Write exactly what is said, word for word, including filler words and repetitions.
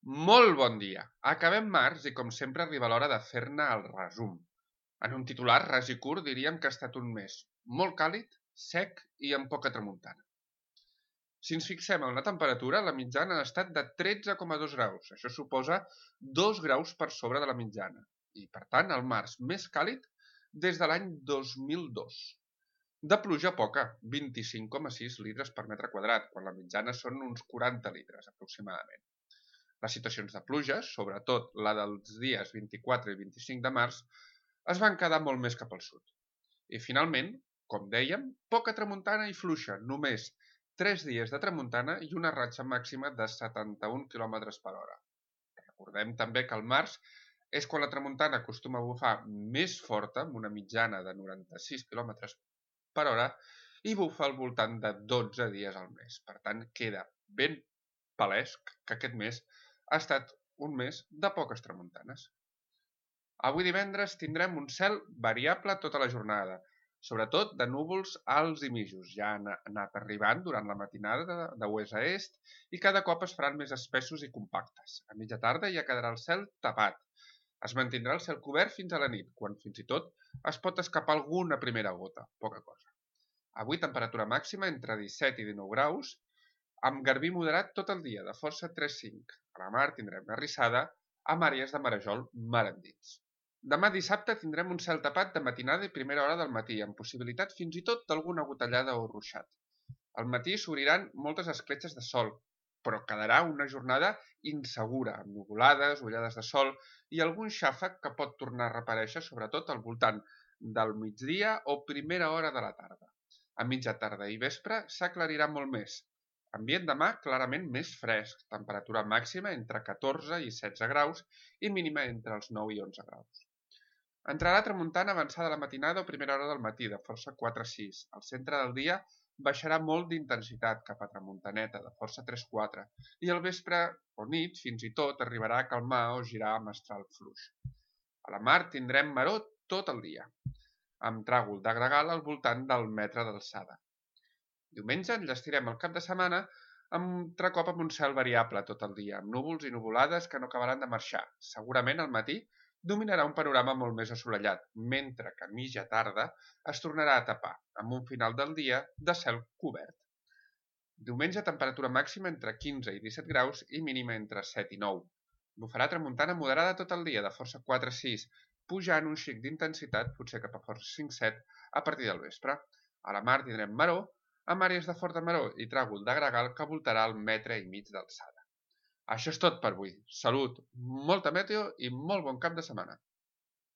Molt bon dia! Acabem març i com sempre arriba l'hora de fer-ne el resum. En un titular ras i curt diríem que ha estat un mes molt càlid, sec i amb poca tramuntana. Si ens fixem en la temperatura, la mitjana ha estat de tretze coma dos graus. Això suposa dos graus per sobre de la mitjana. I, per tant, el març més càlid des de l'any dos mil dos. De pluja poca, vint-i-cinc coma sis litres per metre quadrat, quan la mitjana són uns quaranta litres aproximadament. Les situacions de pluja, sobretot la dels dies vint-i-quatre i vint-i-cinc de març, es van quedar molt més cap al sud. I finalment, com dèiem, poca tramuntana i fluixa, només tres dies de tramuntana i una ratxa màxima de setanta-un quilòmetres per hora. Recordem també que al març és quan la tramuntana acostuma a bufar més forta, amb una mitjana de noranta-sis quilòmetres per hora, i bufa al voltant de dotze dies al mes. Per tant, queda ben palès que aquest mes ha estat un mes de poques tramuntanes. Avui divendres tindrem un cel variable tota la jornada, sobretot de núvols alts i mitjos. Ja han anat arribant durant la matinada de oest a est i cada cop es faran més espessos i compactes. A mitja tarda ja quedarà el cel tapat. Es mantindrà el cel cobert fins a la nit, quan fins i tot es pot escapar alguna primera gota, poca cosa. Avui temperatura màxima entre disset i dinou graus, amb garbí moderat tot el dia, de força tres cinc. A la mar tindrem una rissada, amb àrees de marejol mar endins. Demà dissabte tindrem un cel tapat de matinada i primera hora del matí, amb possibilitat fins i tot d'alguna gotellada o ruixat. Al matí s'obriran moltes escletxes de sol, però quedarà una jornada insegura, amb nuvolades, ullades de sol i algun xàfec que pot tornar a reaparèixer, sobretot al voltant del migdia o primera hora de la tarda. A mitja tarda i vespre s'aclarirà molt més. Ambient demà clarament més fresc, temperatura màxima entre catorze i setze graus i mínima entre els nou i onze graus. Entrarà tramuntana avançada a la matinada o primera hora del matí, de força quatre sis. Al centre del dia baixarà molt d'intensitat cap a tramuntaneta, de força tres quatre, i al vespre o nit fins i tot arribarà a calmar o girar a mestral fluix. A la mar tindrem maror tot el dia, amb tràgol de gregal al voltant del metre d'alçada. Diumenge enllestirem el cap de setmana amb altre cop amb un cel variable tot el dia, amb núvols i nuvolades que no acabaran de marxar. Segurament al matí dominarà un panorama molt més assolellat, mentre que a mitja tarda es tornarà a tapar, amb un final del dia de cel cobert. Diumenge temperatura màxima entre quinze i disset graus i mínima entre set i nou. Bufarà tramuntana moderada tot el dia, de força quatre sis, pujant un xic d'intensitat, potser cap a força cinc set, a partir del vespre. A la mar tindrem maror, amb àrees de forta maror i tràgol de gregal que voltarà el metre i mig d'alçada. Això és tot per avui. Salut, molta meteo i molt bon cap de setmana.